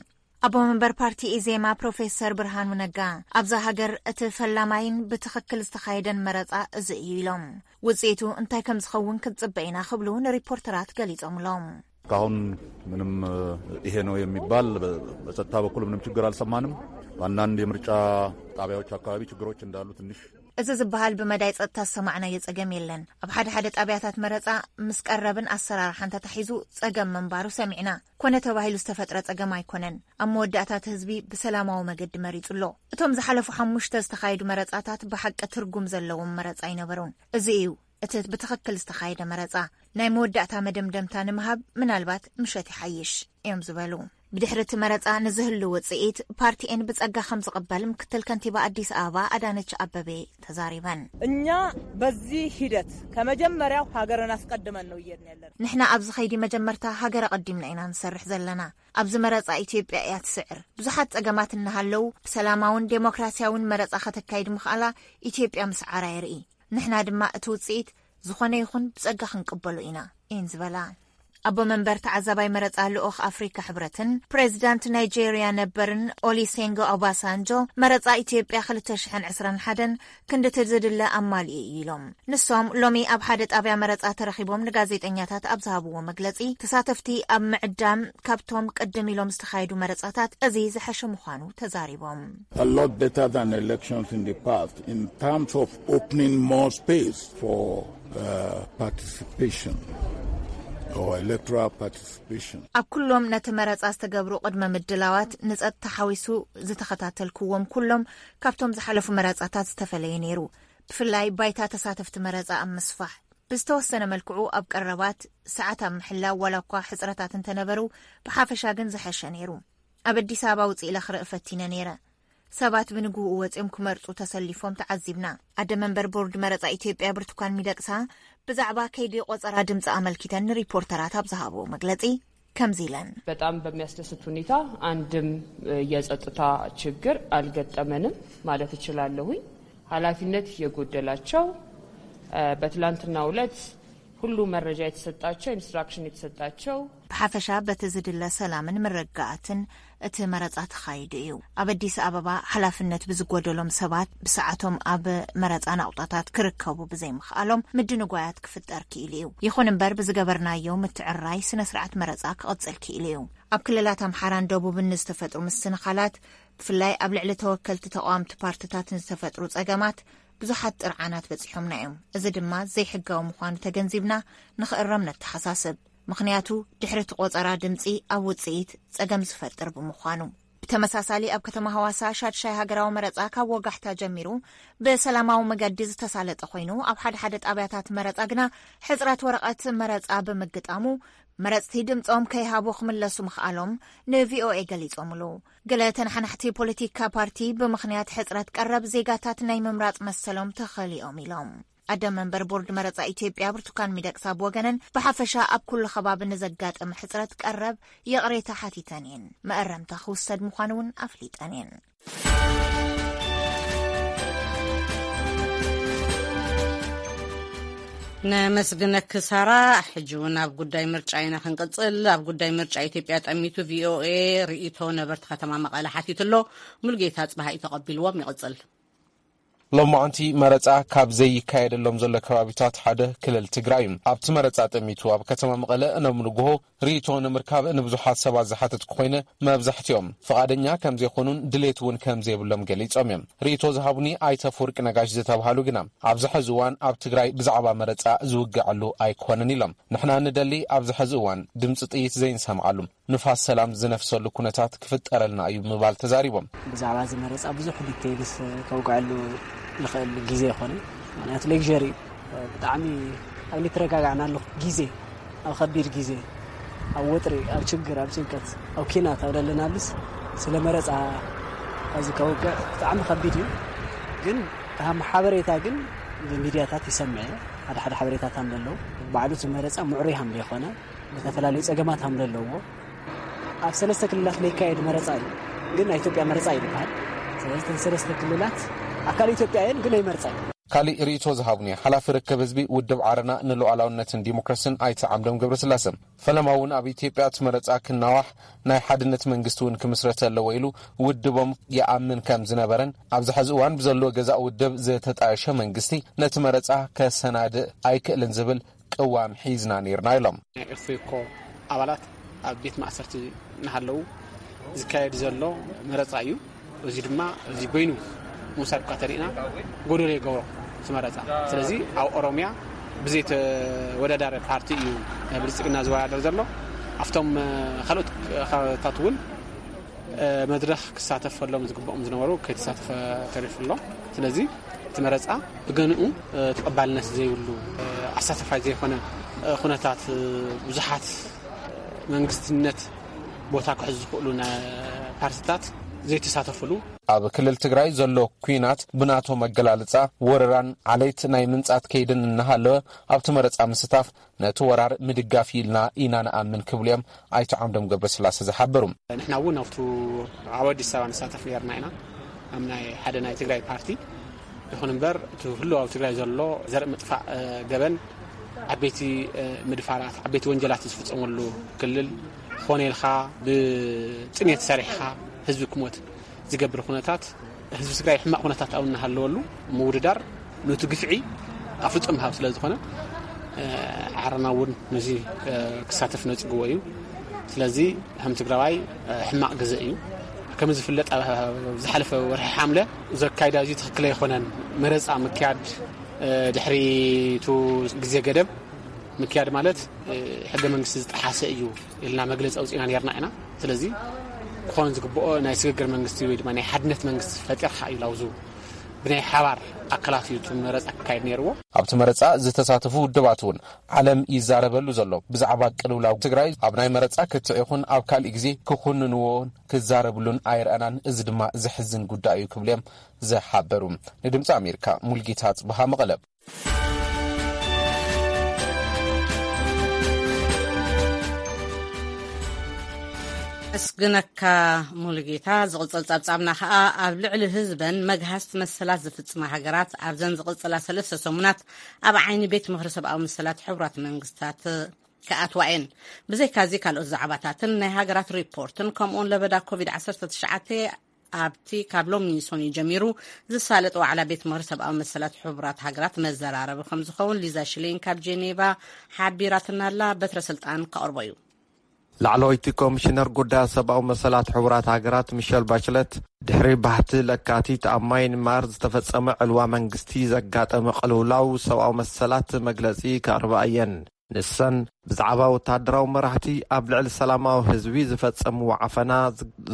ኣቦ መንበር ፓርቲ ኢዜማ ፕሮፌሰር ብርሃኑ ነጋ፣ ኣብዛ ሃገር እቲ ፈላማይን ብትኽክል ዝተኻየደን መረፃ እዚ እዩ ኢሎም። ውፅኢቱ እንታይ ከም ዝኸውን ክንፅበ ኢና ክብሉ ንሪፖርተራት ገሊፆምሎም። እስካሁን ምንም ይሄ ነው የሚባል በ- በጸጥታ በኩል ምንም ችግር አልሰማንም። በአንዳንድ የምርጫ ጣቢያዎች አካባቢ ችግሮች እንዳሉ ትንሽ እዚ ዝበሃል ብመዳይ ጸጥታ ዝሰማዕናዮ ጸገም የለን። ኣብ ሓደ ሓደ ጣብያታት መረጻ ምስ ቀረብን ኣሰራርሓን ተታሒዙ ጸገም ምንባሩ ሰሚዕና። ኮነ ተባሂሉ ዝተፈጥረ ጸገም ኣይኮነን። ኣብ መወዳእታ እቲ ህዝቢ ብሰላማዊ መገዲ መሪጹ ኣሎ። እቶም ዝሓለፉ ሓሙሽተ ዝተኻየዱ መረጻታት ብሓቂ ትርጉም ዘለዎም መረጻ ኣይነበሩን። እዚ እዩ እቲ ብትኽክል ዝተኻየደ መረጻ። ናይ መወዳእታ መደምደምታ ንምሃብ ምናልባት ምሸት ይሓይሽ እዮም ዝበሉ። ብድሕሪ እቲ መረጻ ንዝህሉ ውጽኢት ፓርቲኤን ብጸጋ ከም ዝቕበል ምክትል ከንቲባ ኣዲስ ኣበባ ኣዳነች ኣበቤ ተዛሪበን። እኛ በዚህ ሂደት ከመጀመሪያው ሀገርን አስቀድመን ነው እየድን ያለን። ንሕና ኣብዚ ኸይዲ መጀመርታ ሃገር ኣቐዲምና ኢና ንሰርሕ ዘለና። ኣብዚ መረጻ ኢትዮጵያ እያ ትስዕር። ብዙሓት ጸገማት እናሃለዉ ብሰላማውን ዴሞክራሲያውን መረጻ ከተካይድ ምኽኣላ ኢትዮጵያ ምስዓራ የርኢ። ንሕና ድማ እቲ ውጽኢት ዝኾነ ይኹን ብጸጋ ክንቅበሎ ኢና እየን ዝበላ። ኣቦ መንበር ተዓዛባይ መረጻ ልኡኽ ኣፍሪካ ሕብረትን ፕሬዚዳንት ናይጄርያ ነበርን ኦሊሴንጎ ኦባሳንጆ፣ መረጻ ኢትዮጵያ ክልተ ሽሕን ዕስራን ሓደን ክንድቲ ዝድለ ኣማሊኡ እዩ ኢሎም። ንሶም ሎሚ ኣብ ሓደ ጣብያ መረጻ ተረኺቦም ንጋዜጠኛታት ኣብ ዝሃብዎ መግለጺ፣ ተሳተፍቲ ኣብ ምዕዳም ካብቶም ቅድም ኢሎም ዝተኻየዱ መረጻታት እዚ ዝሐሸ ምዃኑ ተዛሪቦም። A lot better than elections in the past in terms of opening more space for uh, participation or electoral participation. ኣብ ኩሎም ነቲ መረጻ ዝተገብሩ ቅድመ ምድላዋት ንጸጥታ ሓዊሱ ዝተኸታተልክዎም ኩሎም ካብቶም ዝሓለፉ መረጻታት ዝተፈለየ ነይሩ። ብፍላይ ባይታ ተሳተፍቲ መረጻ ኣብ ምስፋሕ። ብዝተወሰነ መልክዑ ኣብ ቀረባት ሰዓት ኣብ ምሕላው ዋላ እኳ ሕጽረታት እንተነበሩ፣ ብሓፈሻ ግን ዝሐሸ ነይሩ። ኣብ ኣዲስ ኣበባ ውጽእ ኢለ ክርኢ ፈቲነ ነይረ። ሰባት ብንግህኡ ወጺኦም ክመርጹ ተሰሊፎም ተዓዚብና። ኣደ መንበር ቦርድ መረጻ ኢትዮጵያ ብርቱካን ሚደቅሳ ብዛዕባ ከይዲ ቆጸራ ድምጺ ኣመልኪተን ንሪፖርተራት ኣብ ዝሃብዎ መግለጺ ከምዚ ኢለን። በጣም በሚያስደስት ሁኔታ አንድም የጸጥታ ችግር አልገጠመንም ማለት እችላለሁኝ። ኃላፊነት የጎደላቸው በትላንትናው ዕለት ሁሉ መረጃ የተሰጣቸው፣ ኢንስትራክሽን የተሰጣቸው። ብሓፈሻ በቲ ዝድለ ሰላምን ምርግጋኣትን እቲ መረጻ ተኻይዱ እዩ። ኣብ ኣዲስ ኣበባ ሓላፍነት ብዝጎደሎም ሰባት ብሰዓቶም ኣብ መረጻ ናቑጣታት ክርከቡ ብዘይምኽኣሎም ምድንጓያት ክፍጠር ክኢሉ እዩ። ይኹን እምበር ብዝገበርናዮ ምትዕርራይ ስነ ስርዓት መረጻ ክቕጽል ክኢሉ እዩ። ኣብ ክልላት ኣምሓራን ደቡብን ንዝተፈጥሩ ምስንኻላት፣ ብፍላይ ኣብ ልዕሊ ተወከልቲ ተቓወምቲ ፓርትታት ንዝተፈጥሩ ጸገማት ብዙሓት ጥርዓናት በጺሖምና እዮም። እዚ ድማ ዘይሕጋዊ ምዃኑ ተገንዚብና ንኽእረም ነተሓሳስብ። ምኽንያቱ ድሕሪ እቲ ቆጸራ ድምጺ ኣብ ውጽኢት ጸገም ዝፈጥር ብምዃኑ። ብተመሳሳሊ ኣብ ከተማ ሃዋሳ ሻድሻይ ሃገራዊ መረጻ ካብ ወጋሕታ ጀሚሩ ብሰላማዊ መገዲ ዝተሳለጠ ኮይኑ፣ ኣብ ሓደ ሓደ ጣብያታት መረጻ ግና ሕጽረት ወረቐት መረጻ ብምግጣሙ መረጽቲ ድምጾም ከይሃቡ ክምለሱ ምኽኣሎም ንቪኦኤ ገሊጾምሉ። ገለ ተነሓናሕቲ ፖለቲካ ፓርቲ ብምኽንያት ሕጽረት ቀረብ ዜጋታት ናይ ምምራጽ መሰሎም ተኸሊኦም ኢሎም። ኣደ መንበር ቦርድ መረጻ ኢትዮጵያ ብርቱካን ሚደቅሳ ብወገነን ብሓፈሻ ኣብ ኩሉ ከባቢ ንዘጋጠመ ሕጽረት ቀረብ ይቕሬታ ሓቲተን እየን። መእረምታ ክውሰድ ምዃኑ እውን ኣፍሊጠን እየን። ነመስግነኪ ሳራ። ሕጂ እውን ኣብ ጉዳይ ምርጫ ኢና ክንቅጽል። ኣብ ጉዳይ ምርጫ ኢትዮጵያ ጠሚቱ ቪኦኤ ርእይቶ ነበርቲ ከተማ መቐለ ሓቲቱ ኣሎ። ሙሉጌታ ጽባሃ እዩ ተቐቢልዎም። ይቕጽል። ሎማዓንቲ መረፃ ካብ ዘይካየደሎም ዘሎ ከባቢታት ሓደ ክልል ትግራይ እዩ። ኣብቲ መረፃ ጠሚቱ ኣብ ከተማ መቐለ እነብ ንግሆ ርእይቶ ንምርካብ ንብዙሓት ሰባት ዝሓተት ኮይነ፣ መብዛሕትኦም ፍቓደኛ ከም ዘይኮኑን ድሌት እውን ከም ዘይብሎም ገሊጾም እዮም። ርእይቶ ዝሃቡኒ ኣይተ ኣፈወርቂ ነጋሽ ዝተባሃሉ ግና፣ ኣብዚ ሕዚ እዋን ኣብ ትግራይ ብዛዕባ መረጻ ዝውግዐሉ ኣይኮነን ኢሎም። ንሕና ንደሊ ኣብዚ ሕዚ እዋን ድምፂ ጥይት ዘይንሰምዓሉ፣ ንፋስ ሰላም ዝነፍሰሉ ኩነታት ክፍጠረልና እዩ ምባል ተዛሪቦም። ብዛዕባ እዚ መረጻ ብዙሕ ዲቴይልስ ከውግዐሉ ዝኽእል ግዜ ኣይኮነን። ምክንያቱ ሌክዠሪ እዩ። ብጣዕሚ ኣብ ልትረጋጋዕናሉ ግዜ፣ ኣብ ከቢድ ግዜ፣ ኣብ ወጥሪ፣ ኣብ ችግር፣ ኣብ ጭንቀት፣ ኣብ ኪናት ኣብ ደለናሉስ ስለ መረፃ እዚ ከውግዕ ብጣዕሚ ከቢድ እዩ። ግን ከም ሓበሬታ ግን ብሚድያታት ይሰምዕ እየ። ሓደ ሓደ ሓበሬታታት ኣለዉ። ባዕሉ እቲ መረፃ ምዕሩይ ሃም ዘይኮነ፣ ዝተፈላለዩ ፀገማት ሃም ዘለዎ ኣብ ሰለስተ ክልላት ለይካየድ መረፃ እዩ። ግን ናይ ኢትዮጵያ መረፃ እዩ ዝበሃል። ስለዚ እተን ሰለስተ ክልላት ኣካል ኢትዮጵያ እየን፣ ግን ኣይመርፃ እዩ። ካሊእ ርእይቶ ዝሃቡኒ ሓላፊ ርክብ ህዝቢ ውድብ ዓረና ንሉዓላውነትን ዲሞክራስን ኣይተ ዓምዶም ገብረስላሰ፣ ፈለማ እውን ኣብ ኢትዮጵያ እቲ መረፃ ክናዋሕ ናይ ሓድነት መንግስቲ እውን ክምስረት ኣለዎ ኢሉ ውድቦም ይኣምን ከም ዝነበረን ኣብዚ ሕዚ እዋን ብዘሎ ገዛእ ውድብ ዝተጣየሸ መንግስቲ ነቲ መረፃ ከሰናድእ ኣይክእልን ዝብል ቅዋም ሒዝና ነይርና ኢሎም። ናይ ኦፌኮ ኣባላት ኣብ ቤት ማእሰርቲ እናሃለዉ ዝካየድ ዘሎ መረፃ እዩ። እዚ ድማ እዚ በይኑ ምውሳድ እኳ ተሪእና ጎደሎ ይገብሮ እቲ መረፃ። ስለዚ ኣብ ኦሮሚያ ብዘይተወዳዳሪ ፓርቲ እዩ ብልፅግና ዝወዳደር ዘሎ። ኣብቶም ካልኦት ከባቢታት እውን መድረኽ ክሳተፈሎም ዝግብኦም ዝነበሩ ከይተሳተፈ ተሪፉ ኣሎ። ስለዚ እቲ መረፃ ብገንኡ ተቐባልነት ዘይብሉ ኣሳተፋይ ዘይኮነ ኩነታት ብዙሓት መንግስትነት ቦታ ክሕዙ ዝኽእሉ ናይ ፓርቲታት ዘይተሳተፍሉ። ኣብ ክልል ትግራይ ዘሎ ኩናት ብናቶ መገላልፃ ወረራን ዓሌት ናይ ምንጻት ከይድን እናሃለወ ኣብቲ መረፃ ምስታፍ ነቲ ወራር ምድጋፍ ኢልና ኢና ንኣምን ክብሉ እዮም ኣይተ ዓምዶም ገብረስላሴ ዝሓበሩ። ንሕና እውን ኣብቱ ኣብ ኣዲስ ኣበባ ንሳተፍ ነርና ኢና ኣብ ናይ ሓደ ናይ ትግራይ ፓርቲ። ይኹን እምበር እቲ ህልው ኣብ ትግራይ ዘሎ ዘርኢ ምጥፋእ ገበን ዓበይቲ ምድፋራት ዓበይቲ ወንጀላት ዝፍፀመሉ ክልል ኾነ ኢልካ ብጥሜት ሰሪሕካ ህዝቢ ክሞት ዝገብር ኩነታት ህዝቢ ትግራይ ሕማቕ ኩነታት ኣብ እናሃለወሉ ምውድዳር ነቲ ግፍዒ ኣፍልጦ ምሃብ ስለ ዝኾነ ዓረና እውን ነዚ ክሳተፍ ነፅግዎ እዩ። ስለዚ ከም ትግራዋይ ሕማቕ ግዘ እዩ። ከም ዝፍለጥ ዝሓለፈ ወርሒ ሓምለ ዘካይዳ እዚ ትኽክል ኣይኮነን። መረፃ ምክያድ ድሕሪ ቱ ግዜ ገደብ ምክያድ ማለት ሕገ መንግስቲ ዝጠሓሰ እዩ ኢልና መግለፂ ኣውፂና ነርና ኢና። ስለዚ ክኾን ዝግብኦ ናይ ስግግር መንግስቲ ወይ ድማ ናይ ሓድነት መንግስቲ ፈጢርካ እዩ ላውዙ ብናይ ሓባር ኣካላት እዩ እቲ መረፃ ክካየድ ነይርዎ። ኣብቲ መረፃ ዝተሳተፉ ውድባት እውን ዓለም ይዛረበሉ ዘሎ ብዛዕባ ቅልውላው ትግራይ ኣብ ናይ መረፃ ክትዕ ይኹን ኣብ ካልእ ግዜ ክኹንንዎን ክዛረብሉን ኣይረኣናን። እዚ ድማ ዘሕዝን ጉዳይ እዩ ክብሉ እዮም ዝሓበሩ። ንድምፂ ኣሜሪካ ሙልጌታ ጽብሃ መቐለ። ኣመስግነካ ሙሉጌታ። ዝቕጽል ጸብጻብና ከኣ ኣብ ልዕሊ ህዝበን መግሃስቲ መሰላት ዝፍጽማ ሃገራት ኣብዘን ዝቕጽላ ሰለስተ ሰሙናት ኣብ ዓይኒ ቤት ምኽሪ ሰብኣዊ መሰላት ሕቡራት መንግስታት ክኣትዋ እየን። ብዘይካዚ ካልኦት ዛዕባታትን ናይ ሃገራት ሪፖርትን ከምኡውን ለበዳ ኮቪድ ዓሰርተ ትሽዓተ ኣብቲ ካብ ሎሚ ሰኑይ ጀሚሩ ዝሳለጥ ዋዕላ ቤት ምኽሪ ሰብኣዊ መሰላት ሕቡራት ሃገራት መዘራረቢ ከም ዝኸውን ሊዛ ሽሌን ካብ ጄኔቫ ሓቢራትና ኣላ። በትረ ስልጣን ከቕርቦ እዩ። ላዕለወይቲ ኮሚሽነር ጉዳያት ሰብኣዊ መሰላት ሕቡራት ሃገራት ሚሸል ባችለት ድሕሪ ባህቲ ለካቲት ኣብ ማይንማር ዝተፈጸመ ዕልዋ መንግስቲ ዘጋጠመ ቅልውላው ሰብኣዊ መሰላት መግለጺ ከቕርባ እየን። ንሰን ብዛዕባ ወታደራዊ መራሕቲ ኣብ ልዕሊ ሰላማዊ ህዝቢ ዝፈጸምዎ ዓፈና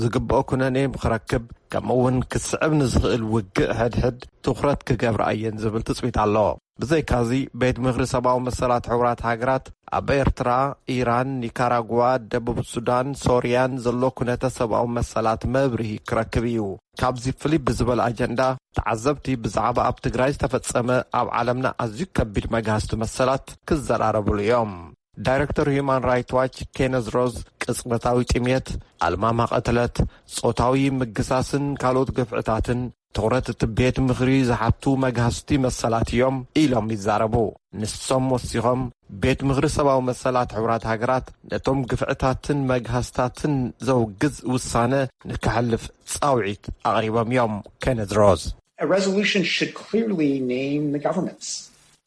ዝግብኦ ኩነኔ ክረክብ ከምኡ እውን ክስዕብ ንዝኽእል ውግእ ሕድሕድ ትኹረት ክገብራ እየን ዝብል ትጽቢት ኣሎ። ብዘይካዚ ቤት ምኽሪ ሰብኣዊ መሰላት ሕቡራት ሃገራት ኣብ ኤርትራ፣ ኢራን፣ ኒካራጓ፣ ደቡብ ሱዳን፣ ሶርያን ዘሎ ኩነተ ሰብኣዊ መሰላት መብርሂ ክረክብ እዩ። ካብዚ ፍልይ ብዝበለ ኣጀንዳ ተዓዘብቲ ብዛዕባ ኣብ ትግራይ ዝተፈጸመ ኣብ ዓለምና ኣዝዩ ከቢድ መግሃስቲ መሰላት ክዘራረብሉ እዮም። ዳይረክተር ሁማን ራይት ዋች ኬነዝ ሮዝ ቅጽበታዊ ጥሜት፣ ኣልማማ ቅትለት፣ ጾታዊ ምግሳስን ካልኦት ግፍዕታትን ትኹረት እቲ ቤት ምኽሪ ዝሓቱ መግሃስቲ መሰላት እዮም ኢሎም ይዛረቡ። ንሶም ወሲኾም ቤት ምኽሪ ሰብኣዊ መሰላት ሕቡራት ሃገራት ነቶም ግፍዕታትን መግሃስታትን ዘውግዝ ውሳነ ንክሕልፍ ጻውዒት ኣቕሪቦም እዮም። ኬነዝ ሮዝ A resolution should clearly name the governments.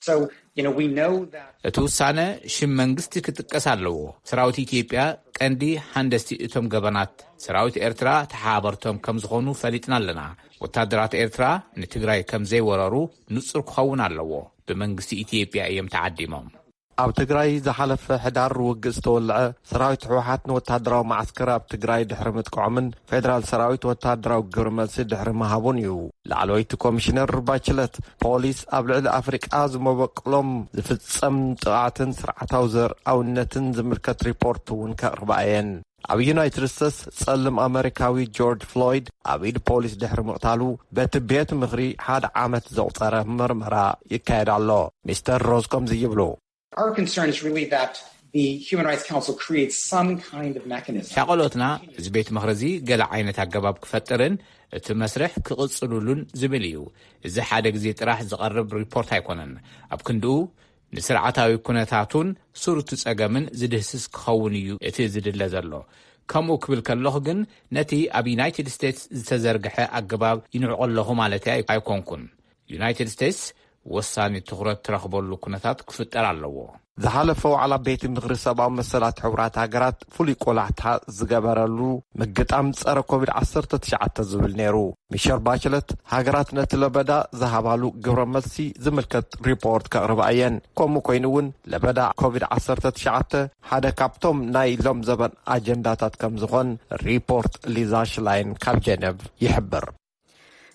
So, you know, we know that. እቲ ውሳነ ሽም መንግስቲ ክጥቀስ ኣለዎ። ሰራዊት ኢትዮጵያ ቀንዲ ሃንደስቲ እቶም ገበናት ሰራዊት ኤርትራ ተሓባበርቶም ከም ዝኾኑ ፈሊጥና ኣለና። ወታደራት ኤርትራ ንትግራይ ከም ዘይወረሩ ንጹር ክኸውን ኣለዎ። ብመንግስቲ ኢትዮጵያ እዮም ተዓዲሞም። ኣብ ትግራይ ዝሓለፈ ሕዳር ውግእ ዝተወልዐ ሰራዊት ህወሓት ንወታደራዊ ማዓስከር ኣብ ትግራይ ድሕሪ ምጥቃዖምን ፌደራል ሰራዊት ወታደራዊ ግብረ መልሲ ድሕሪ ምሃቡን እዩ። ላዕለወይቲ ኮሚሽነር ባችለት፣ ፖሊስ ኣብ ልዕሊ ኣፍሪቃ ዝመበቅሎም ዝፍጸም ጥቓትን ስርዓታዊ ዘርኣውነትን ዝምልከት ሪፖርት እውን ከቕርባ እየን። ኣብ ዩናይትድ ስቴትስ ጸልም ኣመሪካዊ ጆርጅ ፍሎይድ ኣብ ኢድ ፖሊስ ድሕሪ ምቕታሉ በቲ ቤት ምኽሪ ሓደ ዓመት ዘቑጸረ ምርመራ ይካየድ ኣሎ። ሚስተር ሮዝ ከምዚ ይብሉ። Our concern is really that the Human Rights Council creates some kind of mechanism. ሻቐሎትና እዚ ቤት ምኽሪ እዚ ገለ ዓይነት ኣገባብ ክፈጥርን እቲ መስርሕ ክቕጽሉሉን ዝብል እዩ። እዚ ሓደ ግዜ ጥራሕ ዝቐርብ ሪፖርት ኣይኮነን። ኣብ ክንድኡ ንስርዓታዊ ኩነታቱን ሱር እቲ ጸገምን ዝድህስስ ክኸውን እዩ እቲ ዝድለ ዘሎ። ከምኡ ክብል ከለኹ ግን ነቲ ኣብ ዩናይትድ ስቴትስ ዝተዘርግሐ ኣገባብ ይንዕቆ ኣለኹ ማለት ኣይኮንኩን። ዩናይትድ ስቴትስ ወሳኒ ትኹረት ትረኽበሉ ኩነታት ክፍጠር ኣለዎ። ዝሓለፈ ዋዕላ ቤት ምኽሪ ሰብኣዊ መሰላት ሕቡራት ሃገራት ፍሉይ ቆላሕታ ዝገበረሉ ምግጣም ጸረ ኮቪድ ዓሰርተ ትሽዓተ ዝብል ነይሩ። ሚሸር ባችለት ሃገራት ነቲ ለበዳ ዝሃባሉ ግብረ መልሲ ዝምልከት ሪፖርት ከቕርባ እየን። ከምኡ ኮይኑ እውን ለበዳ ኮቪድ ዓሰርተ ትሽዓተ ሓደ ካብቶም ናይ ሎም ዘበን ኣጀንዳታት ከም ዝኾን ሪፖርት ሊዛ ሽላይን ካብ ጀነቭ ይሕብር።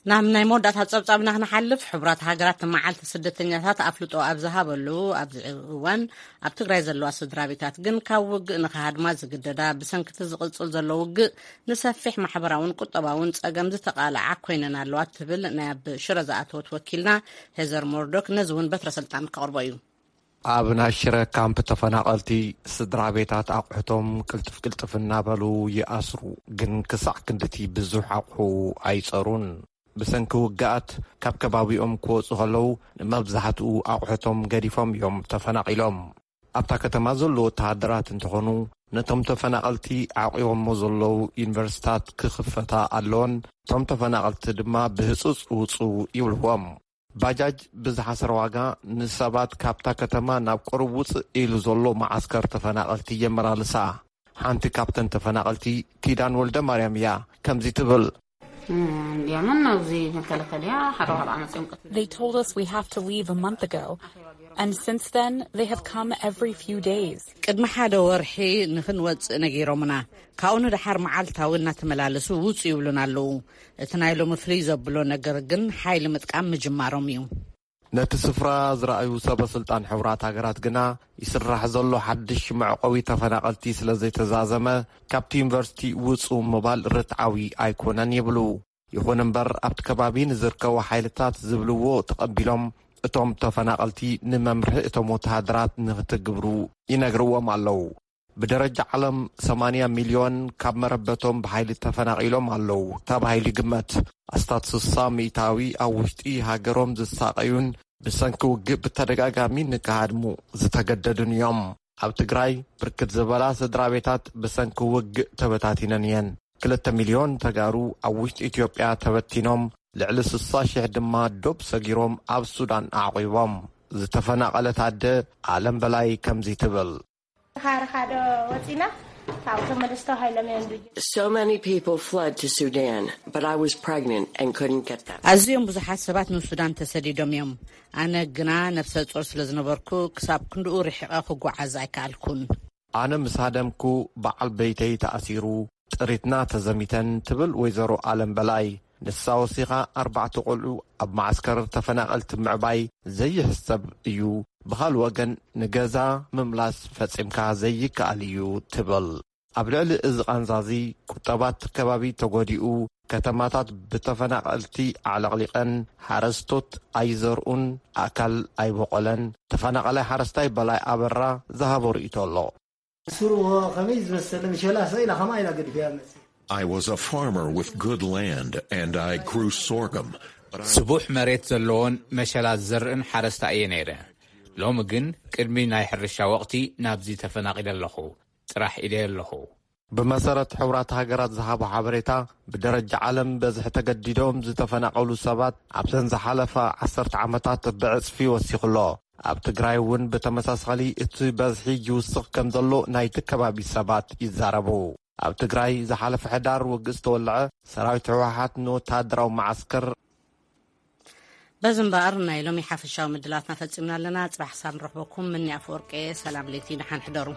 ናብ ናይ መወዳእታ ጸብጻብና ክንሓልፍ፣ ሕቡራት ሃገራት መዓልቲ ስደተኛታት ኣፍልጦ ኣብ ዝሃበሉ ኣብዚ እዋን፣ ኣብ ትግራይ ዘለዋ ስድራ ቤታት ግን ካብ ውግእ ንኽሃድማ ዝግደዳ፣ ብሰንክቲ ዝቕጽል ዘሎ ውግእ ንሰፊሕ ማሕበራውን ቁጠባውን ጸገም ዝተቓልዓ ኮይነን ኣለዋ ትብል ናይ ኣብ ሽረ ዝኣተወት ወኪልና ሄዘር ሞርዶክ። ነዚ እውን በትረ ስልጣን ከቕርቦ እዩ። ኣብ ናይ ሽረ ካምፕ ተፈናቐልቲ ስድራ ቤታት ኣቑሑቶም ቅልጥፍ ቅልጥፍ እናበሉ ይኣስሩ፣ ግን ክሳዕ ክንድቲ ብዙሕ ኣቑሑ ኣይጸሩን። ብሰንኪ ውግኣት ካብ ከባቢኦም ክወጹ ከለዉ ንመብዛሕትኡ ኣቑሑቶም ገዲፎም እዮም ተፈናቒሎም። ኣብታ ከተማ ዘለዉ ወተሃደራት እንተኾኑ ነቶም ተፈናቐልቲ ዓቂቦሞ ዘለዉ ዩኒቨርሲታት ክኽፈታ ኣለወን፣ እቶም ተፈናቐልቲ ድማ ብህጹጽ ውጹ ይብልዎም። ባጃጅ ብዝሓሰረ ዋጋ ንሰባት ካብታ ከተማ ናብ ቁሩብ ውጽእ ኢሉ ዘሎ መዓስከር ተፈናቐልቲ የመላልሳ። ሓንቲ ካብተን ተፈናቐልቲ ኪዳን ወልደ ማርያም እያ። ከምዚ ትብል። እንዲያምን ኣብዚ መከላከልያ ሓደ ዋዕላ መፅኦም ቀት They told us we have to leave a month ago. And since then, they have come every few days. ቅድሚ ሓደ ወርሒ ንኽንወጽእ ነጊሮምና። ካብኡ ንደሓር መዓልታዊ እናተመላለሱ ውጹ ይብሉና ኣለዉ። እቲ ናይ ሎሚ ፍልይ ዘብሎ ነገር ግን ሓይሊ ምጥቃም ምጅማሮም እዩ። ነቲ ስፍራ ዝረኣዩ ሰበ ስልጣን ሕቡራት ሃገራት ግና ይስራሕ ዘሎ ሓድሽ መዕቆቢ ተፈናቐልቲ ስለ ዘይተዛዘመ ካብቲ ዩኒቨርሲቲ ውጹ ምባል ርትዓዊ ኣይኮነን ይብሉ። ይኹን እምበር ኣብቲ ከባቢ ንዝርከቡ ሓይልታት ዝብልዎ ተቐቢሎም እቶም ተፈናቐልቲ ንመምርሒ እቶም ወተሃደራት ንክትግብሩ ይነግርዎም ኣለዉ። ብደረጃ ዓለም ሰማንያ ሚልዮን ካብ መረበቶም ብሓይሊ ተፈናቒሎም ኣለዉ ተባሂሉ ይግመት። ኣስታት ስሳ ሚእታዊ ኣብ ውሽጢ ሃገሮም ዝሳቐዩን ብሰንኪ ውግእ ብተደጋጋሚ ንክሃድሙ ዝተገደዱን እዮም። ኣብ ትግራይ ብርክት ዝበላ ስድራ ቤታት ብሰንኪ ውግእ ተበታቲነን እየን። ክልተ ሚልዮን ተጋሩ ኣብ ውሽጢ ኢትዮጵያ ተበቲኖም፣ ልዕሊ ስሳ ሽሕ ድማ ዶብ ሰጊሮም ኣብ ሱዳን ኣዕቒቦም። ዝተፈናቐለት ኣደ ኣለም በላይ ከምዚ ትብል። ካርኻዶ ወፂና ካብቶም መለስ ተባሂሎም እዮም ድርጅት So many people fled to Sudan, but I was pregnant and couldn't get them. ኣዝዮም ብዙሓት ሰባት ንሱዳን ተሰዲዶም እዮም። ኣነ ግና ነፍሰ ጾር ስለ ዝነበርኩ ክሳብ ክንድኡ ርሒቐ ክጓዓዝ ኣይከኣልኩን። ኣነ ምስ ሃደምኩ በዓል በይተይ ተኣሲሩ፣ ጥሪትና ተዘሚተን ትብል ወይዘሮ ኣለም በላይ። ንሳ ወሲኻ ኣርባዕተ ቆልዑ ኣብ መዓስከር ተፈናቐልቲ ምዕባይ ዘይሕሰብ እዩ። ብኻል ወገን ንገዛ ምምላስ ፈጺምካ ዘይከኣል እዩ ትብል። ኣብ ልዕሊ እዚ ቃንዛዚ ቁጠባት ከባቢ ተጎዲኡ፣ ከተማታት ብተፈናቐልቲ ኣዕለቕሊቐን፣ ሓረስቶት ኣይዘርኡን፣ ኣእካል ኣይበቆለን። ተፈናቐላይ ሓረስታይ በላይ ኣበራ ዝሃቦ ርእይቶ ኣሎ። ስሩ ከመይ ዝመሰለ ምሸላ ሰኢላ ከማ ኢላ ገዲፈያ መጽእ። I was a farmer with good land and I grew sorghum. ስቡሕ መሬት ዘለዎን መሸላ ዝዘርእን ሓረስታ እየ ነይረ። ሎሚ ግን ቅድሚ ናይ ሕርሻ ወቕቲ ናብዚ ተፈናቒለ ኣለኹ። ጥራሕ ኢደ ኣለኹ። ብመሰረት ሕቡራት ሃገራት ዝሃቦ ሓበሬታ፣ ብደረጃ ዓለም በዝሒ ተገዲዶም ዝተፈናቐሉ ሰባት ኣብዘን ዝሓለፋ ዓሰርተ ዓመታት ብዕጽፊ ወሲኹ ኣሎ። ኣብ ትግራይ እውን ብተመሳሳሊ እቲ በዝሒ ይውስኽ ከም ዘሎ ናይቲ ከባቢ ሰባት ይዛረቡ። ኣብ ትግራይ ዝሓለፈ ሕዳር ውግእ ዝተወልዐ፣ ሰራዊት ህወሓት ንወተሃደራዊ መዓስከር በዚ እምበኣር ናይ ሎሚ ሓፈሻዊ ምድላትና ፈጺምና ኣለና። ጽባሕ ክሳብ ንረኽበኩም፣ ምኒ ኣፈወርቂ እየ። ሰላም ለይቲ፣ ደሓን ሕደሩ።